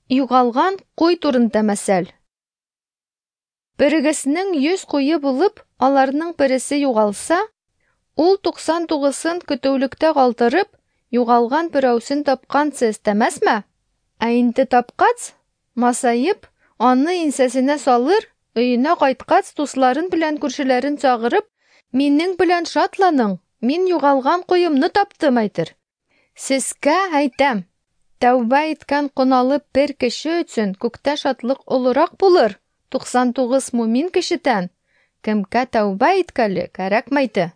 Югалган куй турында мәсәл. Берегезнең 100 куе булып, аларның бересе югалса, ул 99-ын көтүлектә калдырып, югалган берәүсен тапканчы эстәмәсме? Ә инде тапкач, масаеп, аны иңсәсенә салыр, өенә кайткач, дусларын белән күршеләрен чагырып, «Минең белән шатланың, мин югалган куемны таптым», әйтер. Сезгә әйтәм, тәүбә иткән гөнаһлы бер кеше өчен күктә шатлык олырак булыр 99 мумин кешедән, кемгә тәүбә иткәле кәрәкмәйде.